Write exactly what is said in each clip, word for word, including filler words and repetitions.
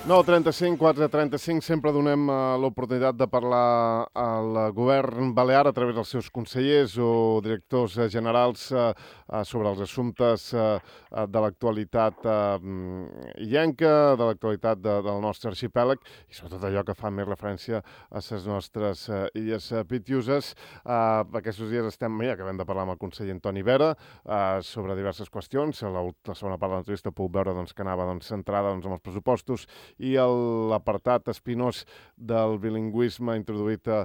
nou trenta-cinc, quatre trenta-cinc, sempre donem uh, l'oportunitat de parlar al govern balear a través dels seus consellers o directors uh, generals uh, uh, sobre els assumptes uh, uh, de l'actualitat uh, illenca, de l'actualitat de, del nostre arxipèlag i sobretot allò que fa més referència a les nostres uh, illes uh, pitiuses. Uh, aquests dies estem, ja acabem de parlar amb el conseller Antoni Vera uh, sobre diverses qüestions. La, la segona part de l'entrevista puc veure doncs, que anava doncs, centrada doncs, en els pressupostos i l'apartat espinós del bilingüisme introduït uh,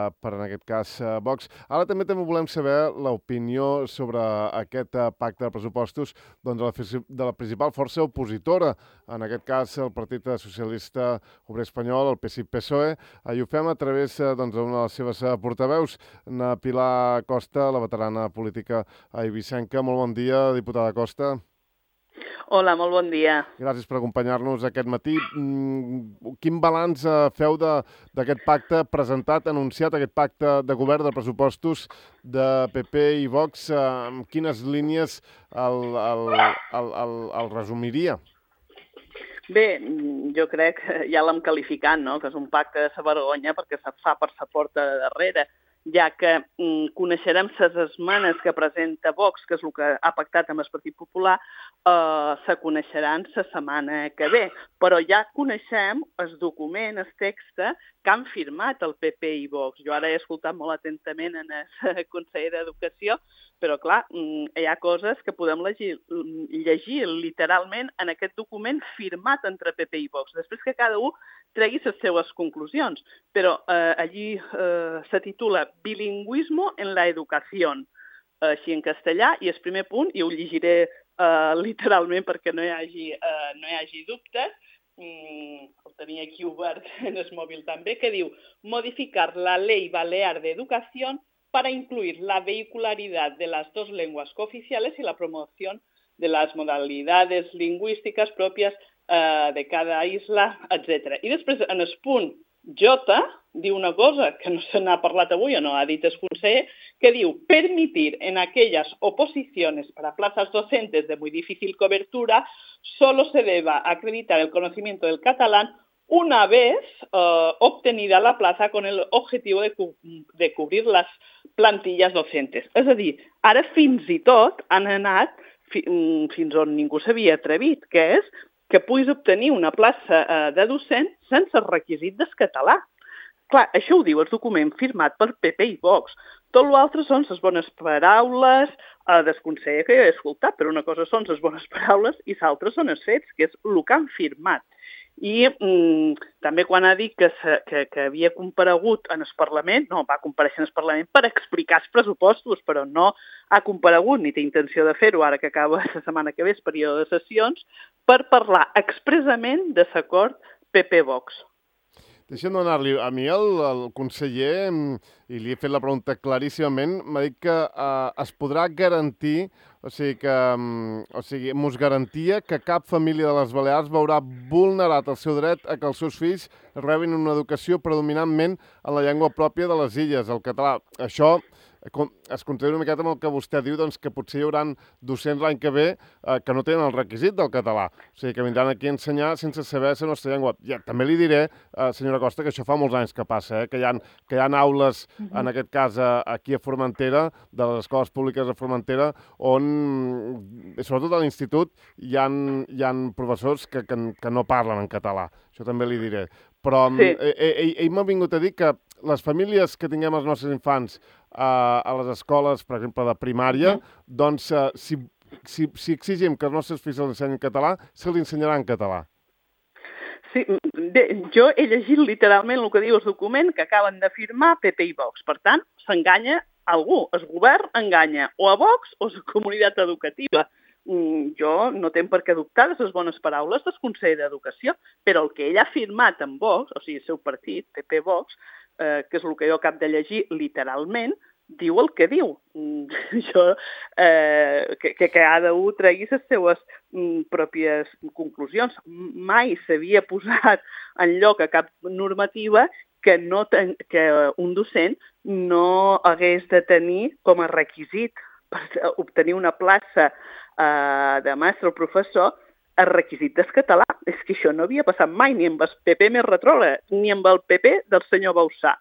per, en aquest cas, uh, Vox. Ara també també volem saber l'opinió sobre aquest uh, pacte de pressupostos doncs, de, la, de la principal força opositora, en aquest cas el Partit Socialista Obrer Espanyol, el P S I P S O E, uh, i ho fem a través uh, doncs, d'una de les seves uh, portaveus, na Pilar Costa, la veterana política eivissenca. Molt bon dia, diputada Costa. Hola, molt bon dia. Gràcies per acompanyar-nos aquest matí. Quin balanç feu d'aquest pacte presentat, anunciat, aquest pacte de govern de pressupostos de P P i Vox? Amb quines línies el, el, el, el, el resumiria? Bé, jo crec que ja l'hem qualificat, no? Que és un pacte de sa vergonya perquè se fa per sa porta de darrere, ja que mm, coneixerem les esmenes que presenta Vox, que és el que ha pactat amb el Partit Popular, eh, se coneixeran la setmana que ve. Però ja coneixem el document, el text que han firmat el P P i Vox. Jo ara he escoltat molt atentament en el conseller d'Educació, però clar, hi ha coses que podem llegir, llegir literalment en aquest document firmat entre P P i Vox. Després que cada un tregui les seves conclusions, però eh, allí eh, se titula Bilingüismo en la educació, així en castellà, i el primer punt, i ho llegiré eh, literalment perquè no hi hagi, eh, no hi hagi dubtes, mm, el tenia aquí obert en el mòbil també, que diu modificar la Ley Balear de Educación para incluir la vehicularidad de las dos lenguas cooficiales y la promoción de las modalidades lingüísticas propias eh, de cada isla, etcètera. I després, en el punt J, diu una cosa que no se n'ha parlat avui o no ha dit el conseller, que diu permitir en aquellas oposiciones para plazas docentes de muy difícil cobertura solo se deba acreditar el conocimiento del catalán una vez uh, obtenida la plaza con el objetivo de, cu de cubrir las plantillas docentes. És a dir, ara fins i tot han anat fi fins on ningú s'havia atrevit, que és que puguis obtenir una plaça uh, de docent sense el requisit del català. Clar, això ho diu el document firmat per P P i Vox. Tot l'altre són les bones paraules uh, del conseller que jo he escoltat, però una cosa són les bones paraules i l'altra són els fets, que és el que han firmat. I mm, també quan ha dit que, se, que, que havia comparegut en el Parlament, no, va compareixer en el Parlament per explicar els pressupostos, però no ha comparegut ni té intenció de fer-ho ara que acaba la setmana que ve el període de sessions, per parlar expressament de l'acord P P-Vox. Deixa'm donar-li, a mi el, el conseller, i li he fet la pregunta claríssimament, m'ha dit que eh, es podrà garantir, o sigui, que o sigui, mos garantia que cap família de les Balears veurà vulnerat el seu dret a que els seus fills rebin una educació predominantment en la llengua pròpia de les illes, el català. Això es considera una miqueta amb el que vostè diu, doncs, que potser hi haurà docents l'any que ve eh, que no tenen el requisit del català. O sigui, que vindran aquí a ensenyar sense saber la nostra llengua. Ja, també li diré, eh, senyora Costa, que això fa molts anys que passa, eh, que, hi ha, que hi ha aules, uh-huh. en aquest cas, aquí a Formentera, de les escoles públiques de Formentera, on, sobretot a l'institut, hi ha, hi ha professors que, que, que no parlen en català. Això també li diré. Però sí. ell, ell m'ha vingut a dir que les famílies que tinguem els nostres infants eh, a les escoles, per exemple, de primària, uh-huh. doncs, eh, si, si, si exigim que els nostres fills els ensenyin català, se li ensenyarà en català. Sí, bé, jo he llegit literalment el que diu el document que acaben de firmar P P i Vox. Per tant, s'enganya algú. El govern enganya o a Vox o a la comunitat educativa. Jo no tenc per què dubtar de les bones paraules del conseller d'Educació, però el que ell ha firmat amb Vox, o sigui, el seu partit, P P-Vox, eh, que és el que jo acabo de llegir literalment, diu el que diu. Jo, eh, que, que cada un tregui les seves mm, pròpies conclusions. Mai s'havia posat en lloc a cap normativa que, no ten, que un docent no hagués de tenir com a requisit per obtenir una plaça eh, de mestre o professor el requisit del català. És que això no havia passat mai, ni amb el P P més retrògrad, ni amb el P P del senyor Bauzá.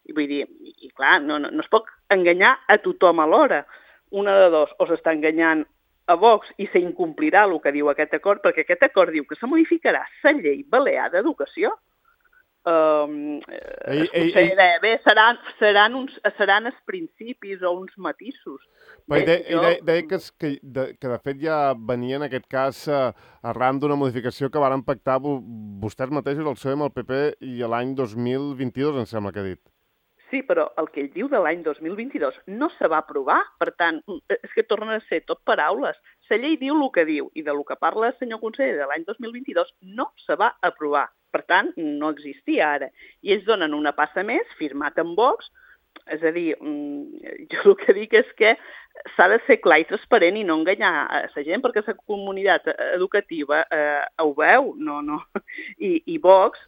I vull dir, i clar, no, no, no es pot enganyar a tothom alhora. Una de dos, o s'està enganyant a Vox i s'incomplirà el que diu aquest acord, perquè aquest acord diu que se modificarà la llei balear d'educació. Um, ei, ei, ei. Bé, seran, seran, uns, seran els principis o uns matisos. Bé, de, jo... de, deia que, que, de, que de fet ja venia en aquest cas eh, arran d'una modificació que varen pactar vostès mateixos, el P S O E amb el P P, i l'any dos mil vint-i-dos, em sembla que ha dit. Sí, però el que ell diu de l'any dos mil vint-i-dos no se va aprovar, per tant, és que tornen a ser tot paraules. La llei diu el que diu, i del que parla el senyor conseller de l'any dos mil vint-i-dos no se va aprovar. Per tant, no existia ara. I ells donen una passa més, firmat amb Vox, és a dir, jo el que dic és que s'ha de ser clar i transparent i no enganyar a la gent, perquè la comunitat educativa eh, ho veu, no, no. I, i Vox,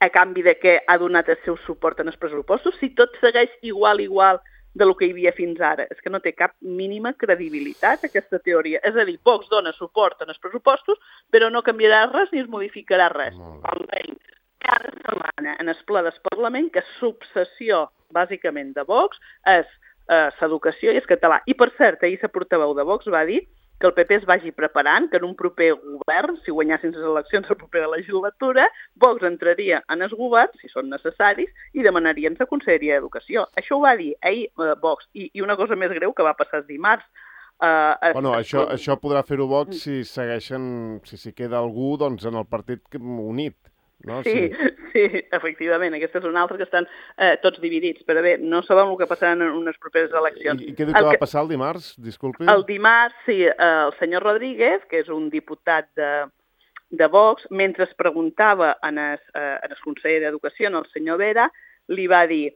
a canvi de què ha donat el seu suport en els pressupostos, si tot segueix igual, igual de lo que hi havia fins ara. És que no té cap mínima credibilitat aquesta teoria. És a dir, Vox dona suport en els pressupostos, però no canviarà res ni es modificarà res. Almenys cada setmana en el ple del Parlament, que l'obsessió, bàsicament, de Vox és eh, l'educació i el català. I, per cert, ahir la portaveu de Vox va dir que el P P es vagi preparant, que en un proper govern, si guanyassin les eleccions a la propera legislatura, Vox entraria en el govern, si són necessaris, i demanarien la Conselleria d'Educació. Això ho va dir ahir eh, Vox. I, I una cosa més greu que va passar el dimarts. Uh, es, bueno, això, es... això podrà fer-ho Vox si segueixen, si s'hi queda algú, doncs, en el partit unit. No? Sí, sí, sí, efectivament. Aquesta és una altra que estan eh, tots dividits. Però bé, no sabem el que passarà en unes properes eleccions. I, i què diu que, que va passar el dimarts? Disculpi. El dimarts, sí, eh, el senyor Rodríguez, que és un diputat de, de Vox, mentre es preguntava en el, eh, en el conseller d'Educació, el senyor Vera, li va dir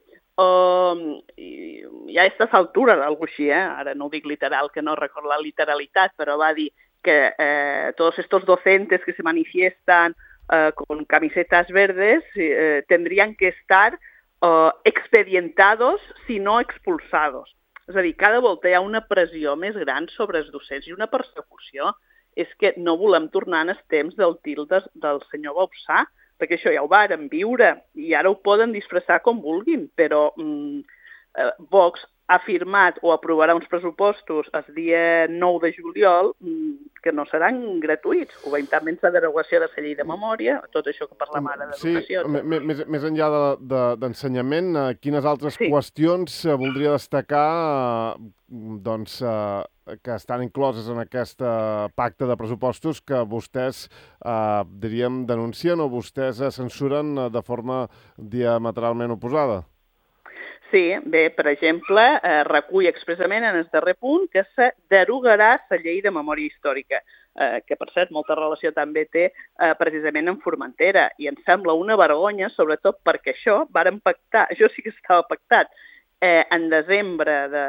oh, ja a aquesta altura, alguna així, eh? Ara no ho dic literal, que no recordo la literalitat, però va dir que eh, tots estos docentes que se manifiestan Uh, con camisetas verdes eh, tendrían que estar uh, expedientados, si no expulsados. És a dir, cada volta hi ha una pressió més gran sobre els docents i una persecució. És que no volem tornar en els temps del til de, del senyor Bauzá, perquè això ja ho varen viure i ara ho poden disfressar com vulguin, però mm, eh, Vox ha firmat o aprovarà uns pressupostos el dia nou de juliol que no seran gratuïts. Ho veiem també en la derogació de la llei de memòria, tot això que parlem ara d'educació. Sí, més, més enllà d'ensenyament, de, de, quines altres sí. qüestions voldria destacar doncs, que estan incloses en aquest pacte de pressupostos que vostès, eh, diríem, denuncien o vostès censuren de forma diametralment oposada? Sí, bé, per exemple, eh, recull expressament en el darrer punt que se derogarà la llei de memòria històrica, eh, que, per cert, molta relació també té eh, precisament amb Formentera, i em sembla una vergonya, sobretot perquè això varen pactar, això sí que estava pactat, eh, en desembre de,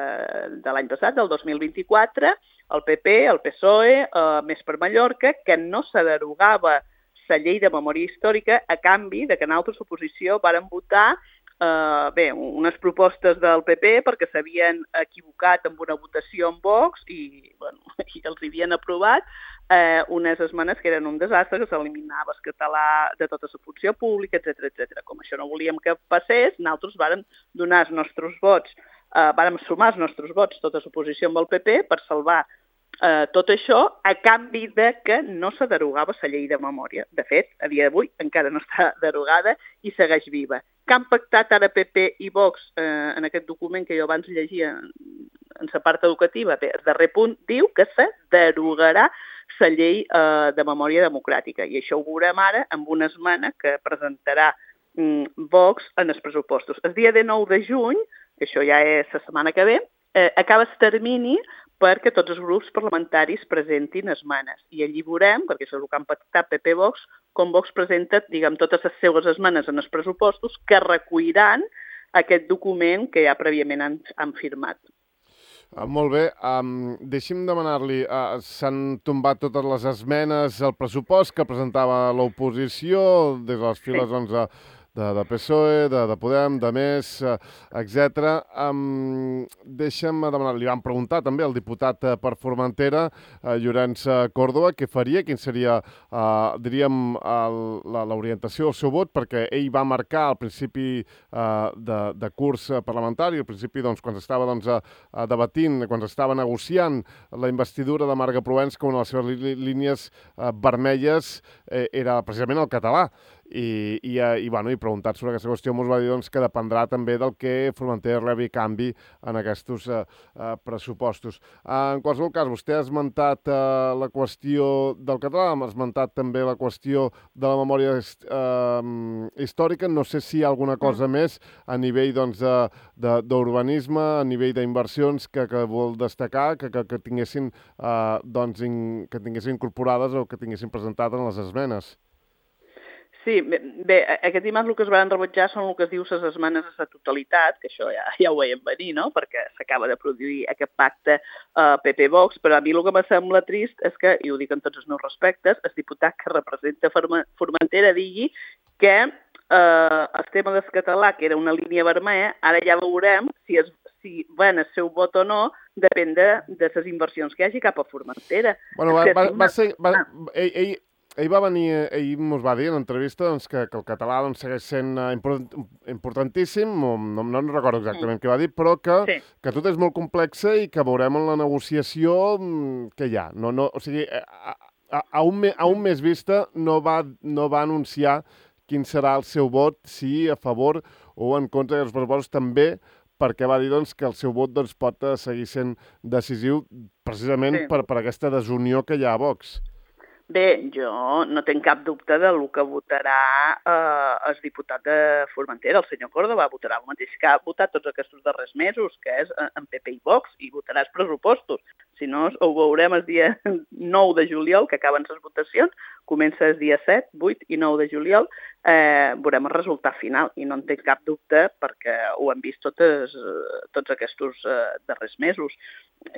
de l'any passat, del dos mil vint-i-quatre, el P P, el P S O E, eh, Més per Mallorca, que no se derogava la llei de memòria històrica a canvi de que en altres oposició varen votar Uh, bé, unes propostes del P P perquè s'havien equivocat amb una votació en Vox i, bueno, i els havien aprovat uh, unes esmenes que eren un desastre, que s'eliminava el català de tota la funció pública, etcètera, etcètera. Com això no volíem que passés, nosaltres vàrem donar els nostres vots, uh, vàrem sumar els nostres vots, tota l'oposició amb el P P, per salvar uh, tot això a canvi de que no se derogava la llei de memòria. De fet, a dia d'avui encara no està derogada i segueix viva. Que han pactat ara P P i Vox eh, en aquest document que jo abans llegia en, en la part educativa. Bé, el darrer punt diu que se derogarà la llei eh, de memòria democràtica i això ho veurem ara amb una esmena que presentarà mm, Vox en els pressupostos. El dia de nou de juny, que això ja és la setmana que ve, eh, acaba el termini perquè tots els grups parlamentaris presentin esmenes. I allí veurem, perquè això és el que han pactat P P i Vox, com Vox presenta, diguem, totes les seves esmenes en els pressupostos que recolliran aquest document que ja prèviament han, han firmat. Uh, molt bé. Um, deixi'm demanar-li, uh, s'han tombat totes les esmenes al pressupost que presentava l'oposició des de les files, sí. doncs, de, de P S O E, de, de Podem, de Més, eh, etcètera. Um, deixa'm demanar, li vam preguntar també al diputat eh, per Formentera, eh, Llorenç Córdoba, què faria, quin seria, eh, diríem, el, la, l'orientació del seu vot, perquè ell va marcar al principi eh, de, de curs parlamentari, al principi, doncs, quan estava doncs, a, a debatint, quan estava negociant la investidura de Marga Provenç, que una de les seves lí línies eh, vermelles eh, era precisament el català. I, i, i, bueno, i preguntat sobre aquesta qüestió ens va dir doncs, que dependrà també del que Formentera rebi canvi en aquests eh, eh, pressupostos. Eh, en qualsevol cas, vostè ha esmentat eh, la qüestió del català, ha esmentat també la qüestió de la memòria eh, històrica. No sé si hi ha alguna cosa més a nivell doncs, d'urbanisme, a nivell d'inversions que, que vol destacar, que, que, que, tinguessin, eh, doncs, in, que tinguessin incorporades o que tinguessin presentat en les esmenes. Sí, bé, aquest dimarts el que es van rebutjar són el que es diu les esmenes a la totalitat, que això ja, ja ho veiem venir, no?, perquè s'acaba de produir aquest pacte uh, P P-Vox, però a mi el que me sembla trist és que, i ho dic en tots els meus respectes, el diputat que representa Formentera digui que uh, el tema del català, que era una línia vermella, ara ja veurem si es si ven el seu vot o no, depèn de, de les inversions que hi hagi cap a Formentera. Bueno, va, va, va ser... Va, ell, ell... Ell va venir, ell ens va dir en l'entrevista doncs, que, que el català doncs, segueix sent uh, import, importantíssim, no, no, no recordo exactament mm. què va dir, però que, sí. que tot és molt complexa i que veurem en la negociació que hi ha. No, no, o sigui, a, a, a, un, me, a un mes vista no va, no va anunciar quin serà el seu vot, si a favor o en contra dels pressupostos, també perquè va dir doncs, que el seu vot doncs, pot seguir sent decisiu precisament sí. per, per aquesta desunió que hi ha a Vox. Bé, jo no tenc cap dubte del que votarà eh, el diputat de Formentera, el senyor Córdoba, votarà el mateix que ha votat tots aquests darrers mesos, que és en P P i Vox, i votarà els pressupostos. Si no, ho veurem el dia nou de juliol, que acaben les votacions, comença el dia set, vuit i nou de juliol, eh, veurem el resultat final, i no en tinc cap dubte perquè ho hem vist totes, tots aquests eh, darrers mesos.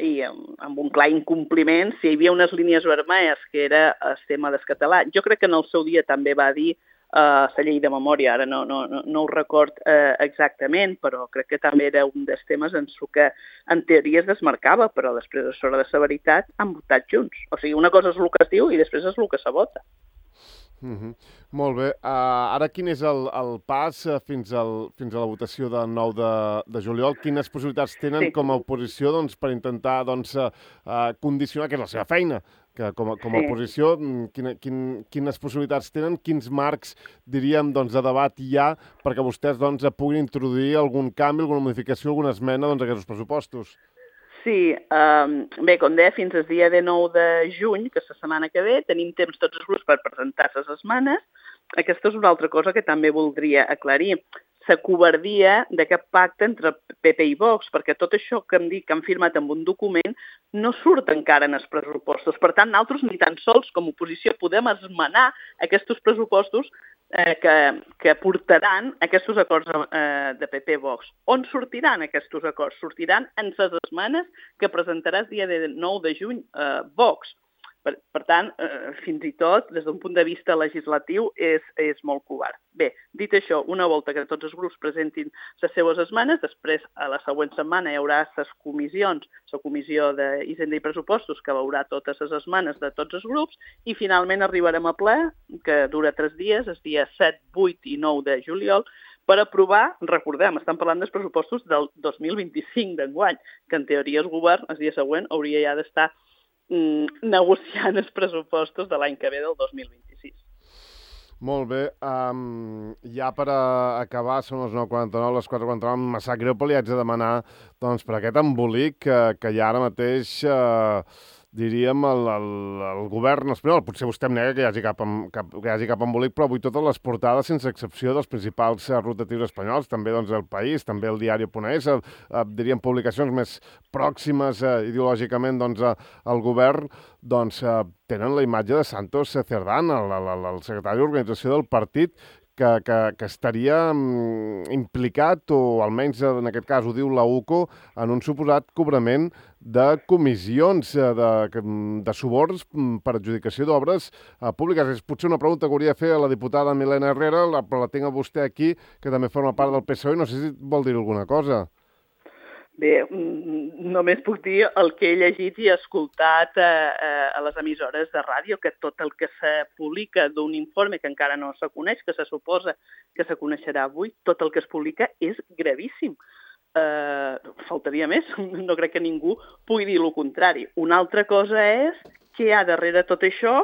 I amb, amb un clar incompliment, si hi havia unes línies vermelles, que era el tema del català, jo crec que en el seu dia també va dir la uh, llei de memòria, ara no, no, no, no ho record uh, exactament, però crec que també era un dels temes en el que en teoria es desmarcava, però després a l'hora de la veritat han votat junts. O sigui, una cosa és el que es diu i després és el que se vota. Mm-hmm. Molt bé. Uh, ara quin és el, el pas uh, fins, al, fins a la votació del nou de, de juliol? Quines possibilitats tenen sí. com a oposició doncs, per intentar doncs, uh, uh, condicionar, que és la seva feina, que com a, com a sí. oposició, quina, quin, quines possibilitats tenen, quins marcs, diríem, doncs, de debat hi ha perquè vostès doncs, puguin introduir algun canvi, alguna modificació, alguna esmena doncs, a aquests pressupostos? Sí, um, bé, com deia, fins al dia de nou de juny, que és la setmana que ve, tenim temps tots els grups per presentar les esmenes. Aquesta és una altra cosa que també voldria aclarir. La covardia d'aquest pacte entre P P i Vox, perquè tot això que em dic que han firmat amb un document no surt encara en els pressupostos. Per tant, nosaltres ni tan sols com a oposició podem esmenar aquests pressupostos eh, que, que portaran aquests acords eh, de P P-Vox. On sortiran aquests acords? Sortiran en les esmenes que presentarà el dia de nou de juny eh, Vox. Per, per tant, eh, fins i tot, des d'un punt de vista legislatiu, és, és molt covard. Bé, dit això, una volta que tots els grups presentin les seues esmenes, després, a la següent setmana, hi haurà les comissions, la comissió d'Hisenda i Pressupostos, que veurà totes les esmenes de tots els grups, i finalment arribarem a ple, que dura tres dies, els dies set, vuit i nou de juliol, per aprovar, recordem, estan parlant dels pressupostos del dos mil vint-i-cinc d'enguany, que en teoria el govern, el dia següent, hauria ja d'estar negociant els pressupostos de l'any que ve del dos mil vint-i-sis. Molt bé. Um, ja per a acabar, són les nou quaranta-nou, les quatre quaranta-nou, em sap greu, però li haig de demanar doncs, per aquest embolic que, que hi ha ara mateix, uh, diríem, el, el, el govern espanyol. Potser vostè em nega que hi hagi cap, cap, que hi hagi cap embolic, però avui totes les portades, sense excepció dels principals rotatius espanyols, també doncs, El País, també el Diari.es, eh, eh, diríem publicacions més pròximes eh, ideològicament doncs, eh, al govern, doncs, eh, tenen la imatge de Santos Cerdán, el, el, el secretari d'organització del partit, que, que, que estaria mm, implicat, o almenys en aquest cas ho diu la U C O, en un suposat cobrament de comissions, de, de suborns per adjudicació d'obres eh, públiques. És potser una pregunta que hauria de fer a la diputada Milena Herrera, la, però la tinc a vostè aquí, que també forma part del P S O E, i no sé si vol dir alguna cosa. Bé, només puc dir el que he llegit i escoltat a, a les emissores de ràdio, que tot el que se publica d'un informe que encara no se coneix, que se suposa que se coneixerà avui, tot el que es publica és gravíssim. Uh, faltaria més, no crec que ningú pugui dir el contrari. Una altra cosa és què hi ha darrere tot això,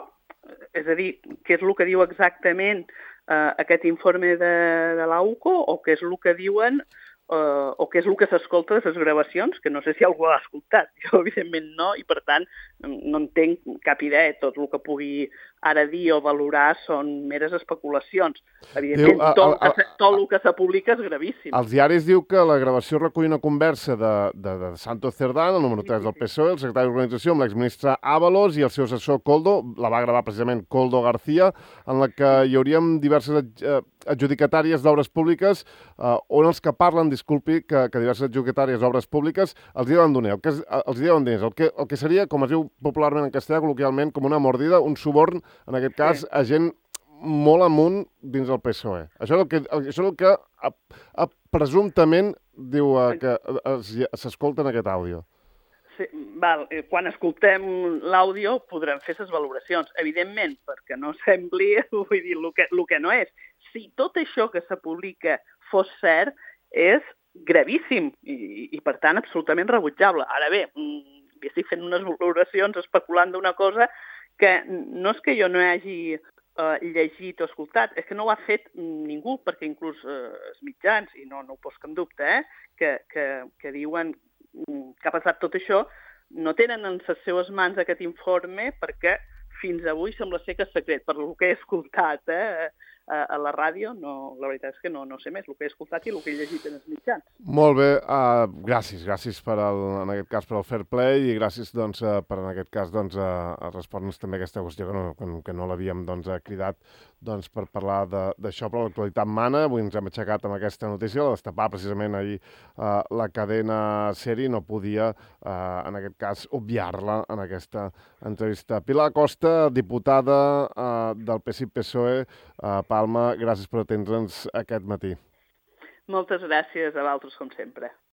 és a dir, què és el que diu exactament uh, aquest informe de, de l'A U C O, o què és el que diuen Uh, o què és el que s'escolta de les gravacions, que no sé si algú l'ha escoltat. Jo, evidentment, no, i per tant no entenc cap idea. Tot el que pugui ara dir o valorar són meres especulacions. Evidentment, diu, a, tot, a, a, tot el que se publica és gravíssim. Els diaris diu que la gravació recull una conversa de, de, de Santos Cerdán, el número tres del P S O E, el secretari d'organització, amb l'exministre Ábalos i el seu assessor Koldo, la va gravar precisament Koldo García, en la que hi hauríem diverses adjudicatàries d'obres públiques, eh, on els que parlen, disculpi, que, que diverses adjudicatàries d'obres públiques els diuen diners, el que, els diuen diners, el que, el que seria, com es diu popularment en castellà, col·loquialment, com una mordida, un suborn, en aquest cas, sí, a gent molt amunt dins del P S O E. Això és el que, això és el que a, a, presumptament diu eh, que s'escolta en aquest àudio. Sí, val. Quan escoltem l'àudio podrem fer les valoracions. Evidentment, perquè no sembli, vull dir, el que, el que no és. Si tot això que se publica fos cert, és gravíssim i, i per tant, absolutament rebutjable. Ara bé, estic fent unes valoracions especulant d'una cosa que no és que jo no hagi uh, llegit o escoltat, és que no ho ha fet ningú, perquè inclús uh, els mitjans, i no, no ho poso en dubte, eh, que, que, que diuen que ha passat tot això, no tenen en les seues mans aquest informe perquè fins avui sembla ser que és secret. Per el que he escoltat eh, a la ràdio, no, la veritat és que no, no sé més el que he escoltat i el que he llegit en els mitjans. Molt bé, uh, gràcies, gràcies per el, en aquest cas per el fair play i gràcies doncs, uh, per en aquest cas doncs, uh, respondre'ns també aquesta qüestió que no, que, que no l'havíem doncs, cridat doncs, per parlar d'això, però l'actualitat mana. Avui ens hem aixecat amb aquesta notícia, la destapar precisament ahir uh, la cadena SER i no podia, uh, en aquest cas, obviar-la en aquesta entrevista. Pilar Costa, diputada uh, del P S I P S O E, uh, Palma, gràcies per atendre'ns aquest matí. Moltes gràcies a vosaltres, com sempre.